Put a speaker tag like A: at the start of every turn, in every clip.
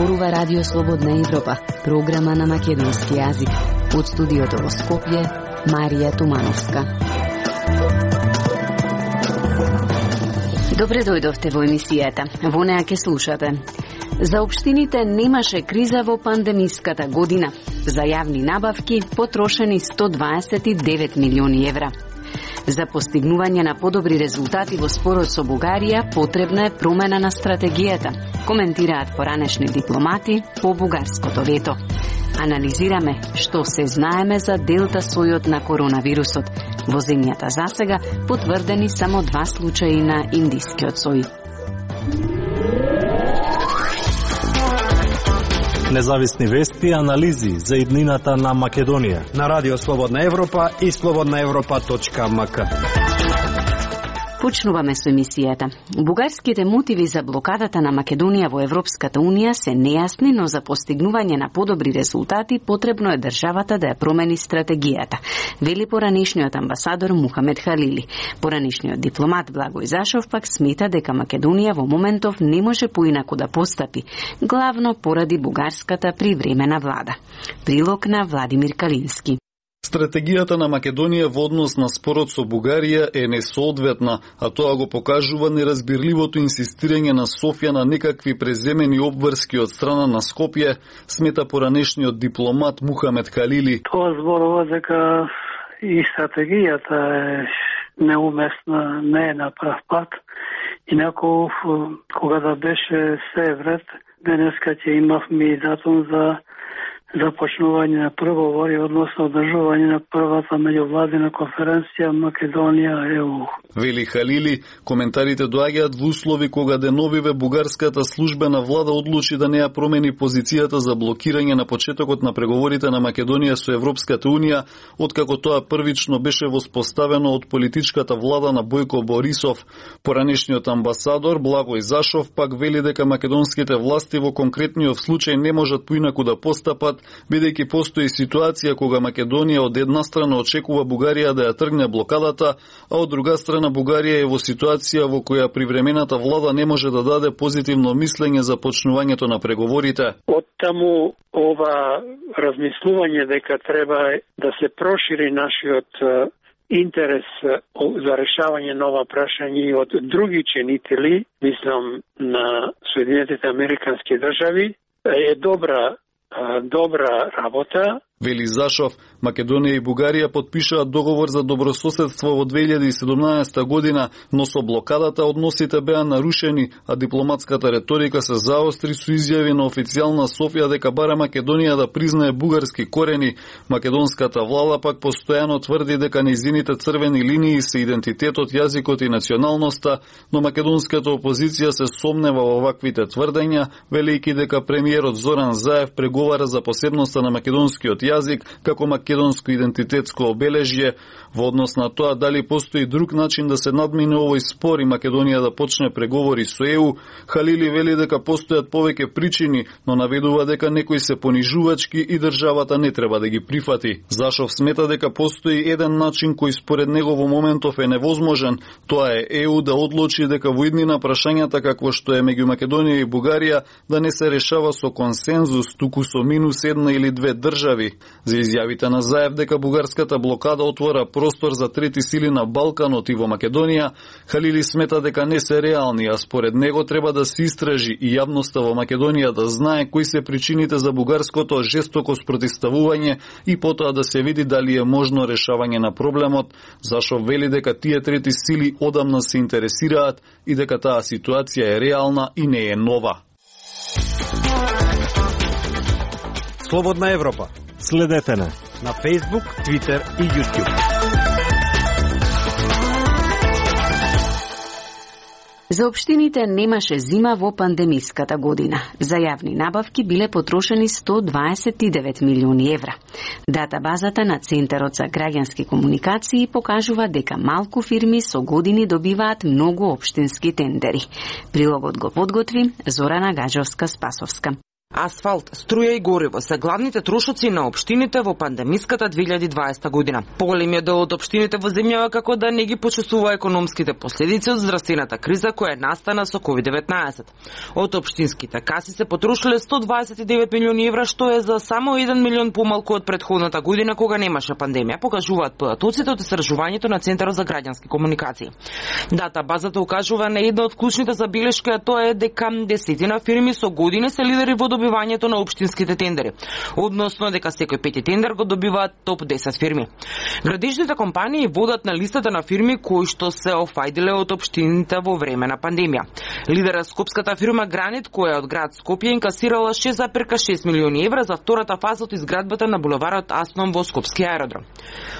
A: зборува Радио Слободна Европа, програма на македонски јазик. Од студиото во Скопје, Марија Тумановска. Добре дојдовте во емисијата. Во неа ќе слушате. За општините немаше криза во пандемиската година. За јавни набавки потрошени 129 милиони евра. За постигнување на подобри резултати во спорот со Бугарија потребна е промена на стратегијата, коментираат поранешни дипломати по бугарското вето. Анализираме што се знаеме за делта сојот на коронавирусот. Во земјата засега потврдени само 2 случаи на индискиот сој.
B: Независни вести и анализи за иднината на Македонија
C: на Радио Слободна Европа и slobodnaevropa.mk.
A: Почнуваме со емисијата. Бугарските мотиви за блокадата на Македонија во Европската Унија се нејасни, но за постигнување на подобри резултати потребно е државата да ја промени стратегијата, вели поранешниот амбасадор Мухамед Халили. Поранешниот дипломат Благој Зашов пак смета дека Македонија во моментов не може поинаку да постапи, главно поради бугарската привремена влада. Прилог на Владимир Калински.
D: Стратегијата на Македонија во однос на спорот со Бугарија е несоодветна, а тоа го покажува неразбирливото инсистирање на Софија на некакви преземени обврски од страна на Скопје, смета поранешниот дипломат Мухамед Халили.
E: Тоа зборува дека и стратегијата е неуместна, не е на прав пат. Инаку, кога да беше се вред, денеска ќе имавме и датум за започнување на преговори, односно одржување на првата меѓувладина конференција Македонија-ЕУ.
D: Вели Халили, коментарите доаѓаат во услови кога деновиве бугарската службена влада одлучи да не ја промени позицијата за блокирање на почетокот на преговорите на Македонија со Европската Унија, откако тоа првично беше воспоставено од политичката влада на Бојко Борисов. Поранешниот амбасадор Благој Зашов пак вели дека македонските власти во конкретниот случај не можат поинаку да постапат, бидејќи постои ситуација кога Македонија од една страна очекува Бугарија да ја тргне блокадата, а од друга страна Бугарија е во ситуација во која привремената влада не може да даде позитивно мислење за почнувањето на преговорите.
E: Од таму ова размислување дека треба да се прошири нашиот интерес за решавање на ова прашање од други ченители, мислам на Соединетите Американски држави, е добра работа.
D: Вели Зашов, Македонија и Бугарија подпишаат договор за добрососедство во 2017 година, но со блокадата односите беа нарушени, а дипломатската реторика се заостри со изјави на официјална Софија дека бара Македонија да признае бугарски корени. Македонската влада пак постојано тврди дека нејзините црвени линии се идентитетот, јазикот и националноста, но македонската опозиција се сомнева во ваквите тврдења, велејќи дека премиерот Зоран Заев преговара за посебноста на македонскиот јазик како македонско идентитетско обележје. Во однос на тоа дали постои друг начин да се надмине овој спор и Македонија да почне преговори со ЕУ, Халили вели дека постојат повеќе причини, но наведува дека некои се понижувачки и државата не треба да ги прифати. Зашов смета дека постои еден начин кој според него во моментов е невозможен, тоа е ЕУ да одлучи дека во иднина прашањата какво што е меѓу Македонија и Бугарија да не се решава со консензус, туку со минус една или две држави. За изјавите на Заев дека бугарската блокада отвора простор за трети сили на Балканот и во Македонија, Халили смета дека не се реални, а според него треба да се истражи и јавноста во Македонија да знае кои се причините за бугарското жестоко спротивставување и потоа да се види дали е можно решавање на проблемот. Зашов вели дека тие трети сили одамна се интересираат и дека таа ситуација е реална и не е нова.
C: Слободна Европа.
B: Следете не
C: на Facebook, Twitter и YouTube.
A: За општините немаше зима во пандемиската година. За јавни набавки биле потрошени 129 милиони евра. Датабазата на Центарот за граѓански комуникации покажува дека малку фирми со години добиваат многу општински тендери. Прилогот го подготви Зорана Гаджовска-Спасовска.
F: Асфалт, струја и гориво се главните трошоци на општините во пандемиската 2020 година. Поголемиот дел од општините во земјава како да не ги почувствува економските последици од здравствената криза која настана со COVID-19. Од општинските каси се потрошиле 129 милиони евра, што е за само 1 милион помалку од претходната година кога немаше пандемија, покажуваат податоците од истражувањето на Центарот за граѓански комуникации. Дата базата укажува на една од клучните забелешки, а тоа е дека десетина фирми со години се лидери во добивањето на општинските тендери, односно дека секој пети тендер го добиваат топ 10 фирми. Градежните компании водат на листата на фирми кои што се офајдиле од општините во време на пандемија. Лидера скопската фирма Гранит, која од град Скопје инкасирала 6,6 милиони евра за втората фаза од изградбата на булеварот Асном во Скопски аеродром.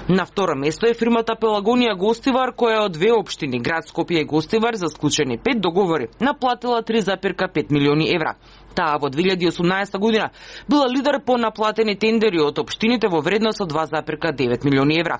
F: На второ место е фирмата Пелагонија Гостивар, која од две општини, град Скопје и Гостивар, за склучени 5 договори, наплатила 3,5 милиони евра. Таа во 2018 година била лидер по наплатени тендери од општините во вредност од 2,9 милиони евра.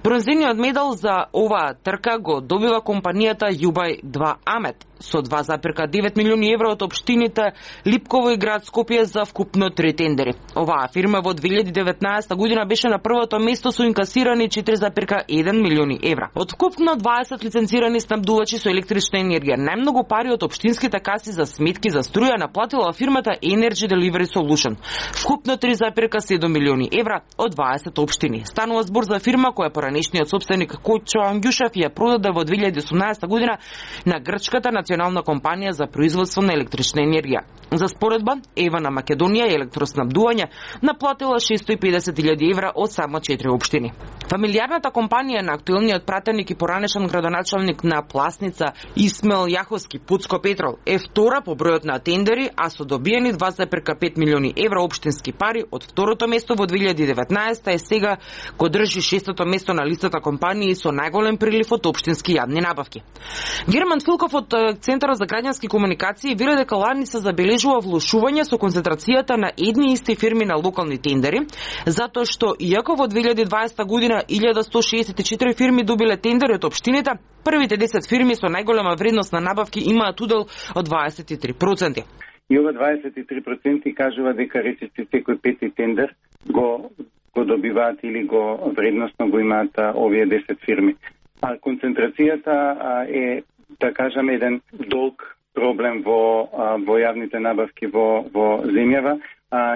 F: Бронзениот медал за оваа трка го добива компанијата Јубај 2 Амет со 2,9 милиони евра од општините Липково и град Скопје за вкупно 3 тендери. Оваа фирма во 2019 година беше на првото место со инкасирани 4,1 милиони евра. Од вкупно 20 лиценцирани снабдувачи со електрична енергија, најмногу пари од општинските каси за сметки за струја наплатила фирмата Energy Delivery Solution. Вкупно 3,7 милиони евра од 20 општини. Станува збор за фирма која поранешниот собственик Кочо Ангјушев ја продаде во 2018 година на грчката национална компанија за производство на електрична енергија. За споредба, Ева на Македонија и електроснабдување наплатила 650.000 евра од само 4 општини. Фамилијарната компанија на актуелниот пратеник и поранешен градоначалник на Пласница Исмел Јаховски Пуцко Петрол е втора по бројот на тендери, а со добиени 2,5 милиони евра општински пари од второто место во 2019 е сега го држи 6-то место на листата компании со најголем прилив од општински јавни набавки. Герман Филков од Центарот за граѓански комуникации вели дека лани се забележува влошување со концентрацијата на едни исти фирми на локални тендери, затоа што иако во 2020 година 1164 фирми добиле тендери од општините, првите 10 фирми со најголема вредност на набавки имаат удел од 23%.
G: И ова 23% кажува дека речиси секој пети тендер го добиваат или го вредносно го имаат овие 10 фирми. А концентрацијата е, да кажам, еден долг проблем во јавните набавки во земјава,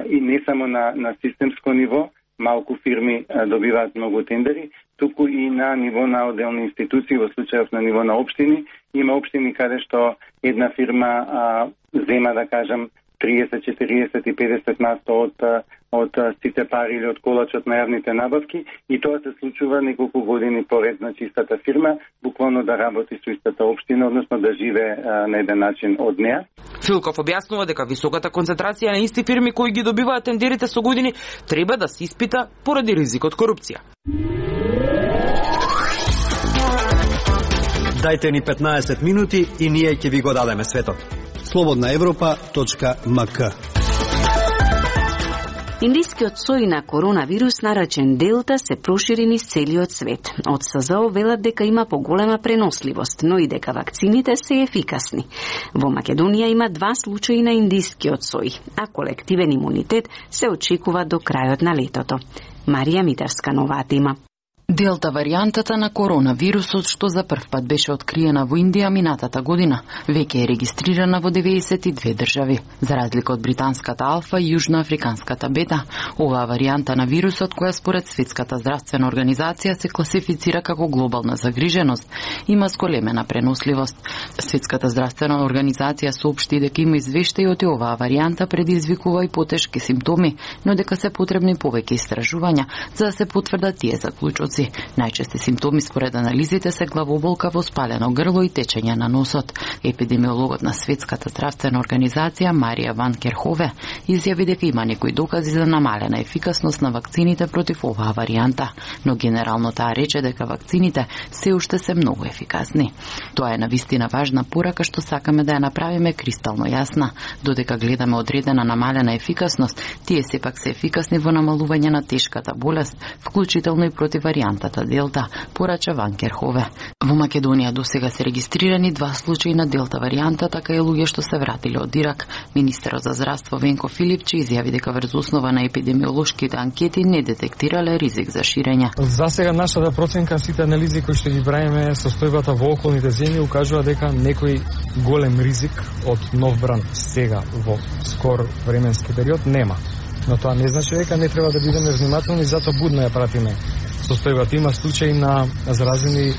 G: и не само на системско ниво, малку фирми добиваат многу тендери, туку и на ниво на отделни институции, во случајов на ниво на општини. Има општини каде што една фирма зема, да кажам, 30, 40 и 50% од сите пари или од колачот на јавните набавки, и тоа се случува неколку години поред, значи истата фирма буквално да работи со истата општина, односно да живее на еден начин од неа.
F: Филков објаснува дека високата концентрација на исти фирми кои ги добиваат тендерите со години треба да се испита поради ризикот корупција.
C: Дајте ни 15 минути и ние ќе ви го дадеме светот. slobodnaevropa.mk.
A: Индискиот сој на коронавирус наречен Делта се прошири низ целиот свет. Од СЗО велат дека има поголема преносливост, но и дека вакцините се ефикасни. Во Македонија има 2 случаи на индискиот сој, а колективен имунитет се очекува до крајот на летото. Марија Митарска нова тема.
H: Делта варијантата на коронавирусот, што за прв пат беше откриена во Индија минатата година, веќе е регистрирана во 92 држави. За разлика од британската алфа и јужноафриканската бета, оваа варијанта на вирусот, која според Светската здравствена организација се класифицира како глобална загриженост, има зголемена преносливост. Светската здравствена организација соопшти дека има извештаи од оваа варијанта предизвикува и потешки симптоми, но дека се потребни повеќе истражувања за да се потврдат тие заклучоци. Најчести симптоми според анализите се главоболка, воспалено грло и течење на носот. Епидемиологот на Светската здравствена организација Марија Ван Керхове изјави дека има некои докази за намалена ефикасност на вакцините против оваа варијанта, но генерално таа рече дека вакцините се уште се многу ефикасни. Тоа е навистина важна порака што сакаме да ја направиме кристално јасна. Додека гледаме одредена намалена ефикасност, тие сепак се ефикасни во намалување на тешката болест, вклучително и против варијанта варијантата Делта, порача Ван Керхове. Во Македонија досега се регистрирани 2 случаи на Делта варијанта, така и луѓе што се вратиле од Ирак. Министерот за здравство Венко Филипче изјави дека врз основа на епидемиолошките анкети не детектирале ризик за ширење.
I: За сега нашата проценка, сите анализи кои што ги правиме, состојбата во околните земји укажува дека некој голем ризик од нов бранд сега во скор временски период нема. Но тоа не значи дека не треба да бидеме внимателни, затоа будно ја пратиме состојбата. Има случаи на заразени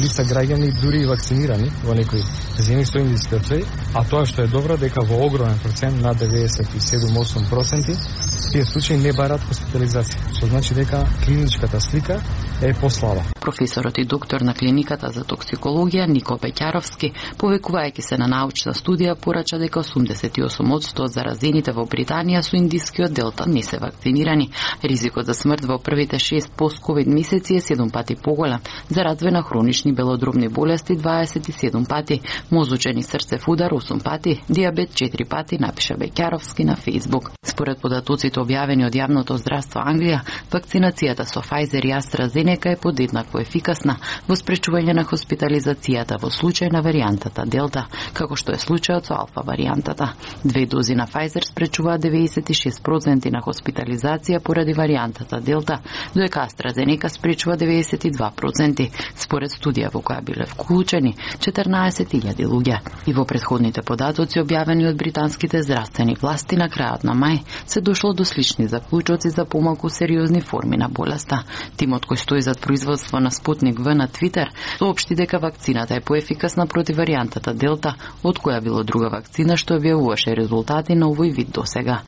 I: лица граѓани, дури и вакцинирани во некои земји со индиски оцеј, а тоа што е добро дека во огромен процент, на 97-8%, тие случаи не барат хоспитализација, што значи дека клиничката слика е послаба.
H: Професорот и доктор на клиниката за токсикологија Нико Пеќаровски, повекувајќи се на научна студија, порача дека 88% од заразените во Британија со индискиот Делта не се вакцинирани. Ризикот за смрт во првите 6 пост-ковид месеци е 7 пати поголем, за развој на хронични белодробни болести 27 пати, мозочен и срцев удар 8 пати, диабет 4 пати, напиша Бекјаровски на Фејсбук. Според податоците објавени од јавното здравство Англија, вакцинацијата со Pfizer и AstraZeneca е подеднакво ефикасна во спречување на хоспитализацијата во случај на варијантата Делта, како што е случајот со алфа варијантата. 2 дози на Pfizer спречуваат 96% на хоспитализација поради варијантата Делта, додека AstraZeneca спречува 92%, според студија во која биле вклучени 14.000 луѓе. И во претходните податоци објавени од британските здравствени власти на крајот на мај се дошло до слични заклучоци за помалку сериозни форми на болеста. Тимот кој стои зад производство на Спутник В на Твитер соопшти дека вакцината е поефикасна против варијантата Делта, од која било друга вакцина што објавуваше резултати на овој вид досега.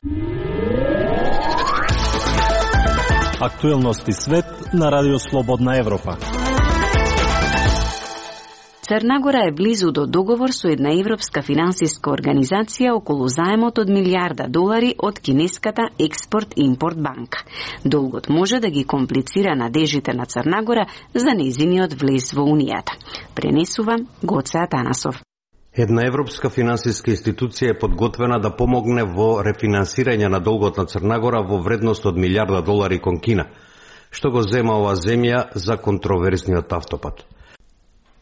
B: Актуелности свет на Радио Слободна Европа.
A: Црна е близу до договор со една европска финансиска организација околу заемот од $1.000.000 од кинеската Експорт-импорт банка. Долгот може да ги комплицира надежите на Црна за нејзиниот влез во Унијата. Пренесува Гоце Атанасов.
J: Една европска финансиска институција е подготвена да помогне во рефинансирање на долгот на Црна Гора во вредност од $1.000.000 кон Кина, што го зема оваа земја за контроверзниот автопат.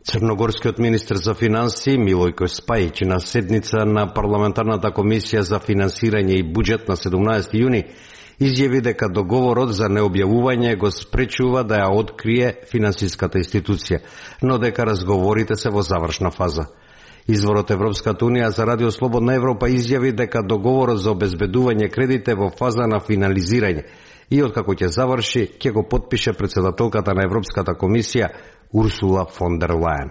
J: Црногорскиот министер за финансии Милојко Спајич на седница на парламентарната комисија за финансирање и буџет на 17 јуни изјави дека договорот за необјавување го спречува да ја открие финансиската институција, но дека разговорите се во завршна фаза. Изворот Европската Унија за Радио Слободна Европа изјави дека договорот за обезбедување кредит е во фаза на финализирање и откако ќе заврши, ќе го потпише председателката на Европската комисија Урсула фон дер Лајен.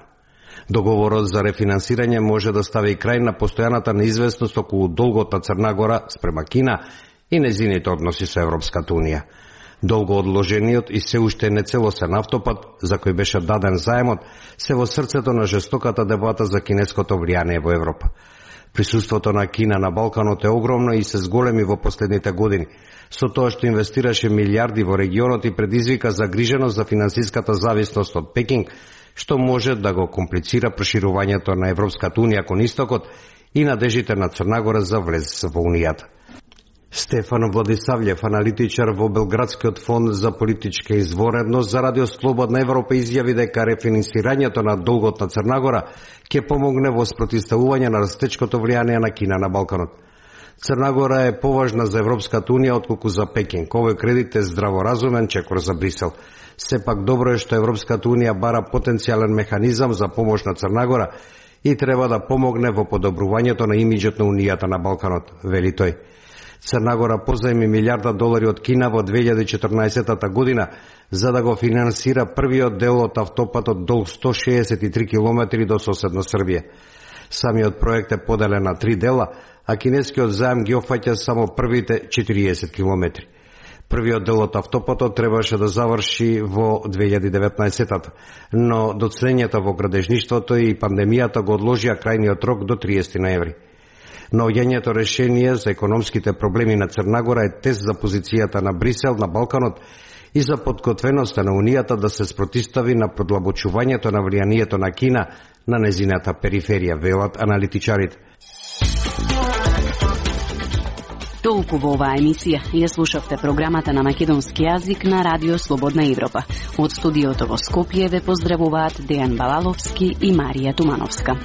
J: Договорот за рефинансирање може да стави крај на постојаната неизвестност околу долгот на Црна Гора спрема Кина и нејзините односи со Европската Унија. Долго одложениот и се уште нецелосен автопат, за кој беше даден заемот, се во срцето на жестоката дебата за кинеското влијание во Европа. Присуството на Кина на Балканот е огромно и се зголеми во последните години, со тоа што инвестираше милиарди во регионот и предизвика загриженост за финансиската зависност од Пекинг, што може да го комплицира проширувањето на Европската Унија кон истокот и надежите на Црна Гора за влез во Унијата. Стефан Владисављев, аналитичар во Белградскиот фонд за политичка изворедност за Радио Слободна Европа, изјави дека рефинансирањето на долгот на Црна Гора ќе помогне во спротивставување на растечкото влијание на Кина на Балканот. Црна Гора е поважна за Европската Унија отколку за Пекинг. Овој кредит е здраворазумен чекор за Брисел. Сепак добро е што Европската Унија бара потенцијален механизам за помош на Црна Гора и треба да помогне во подобрувањето на имиџот на Унијата на Балканот, вели тој. Црна Гора позајми $1.000.000 од Кина во 2014 година за да го финансира првиот дел од автопатот долг 163 километри до соседна Србија. Самиот проект е поделен на 3 дела, а кинескиот заем ги опфаќа само првите 40 километри. Првиот дел од автопатот требаше да заврши во 2019, но доцнењата во градежништвото и пандемијата го одложија крајниот рок до 30 ноември. Наоѓањето решение за економските проблеми на Црна Гора е тест за позицијата на Брисел на Балканот и за подготвеноста на Унијата да се спротивстави на продлабочувањето на влијанието на Кина на незината периферија, велат аналитичарите.
A: Толку во оваа емисија. Ја слушавте програмата на македонски јазик на Радио Слободна Европа. Од студиото во Скопје ве поздравуваат Дејан Балаловски и Марија Тумановска.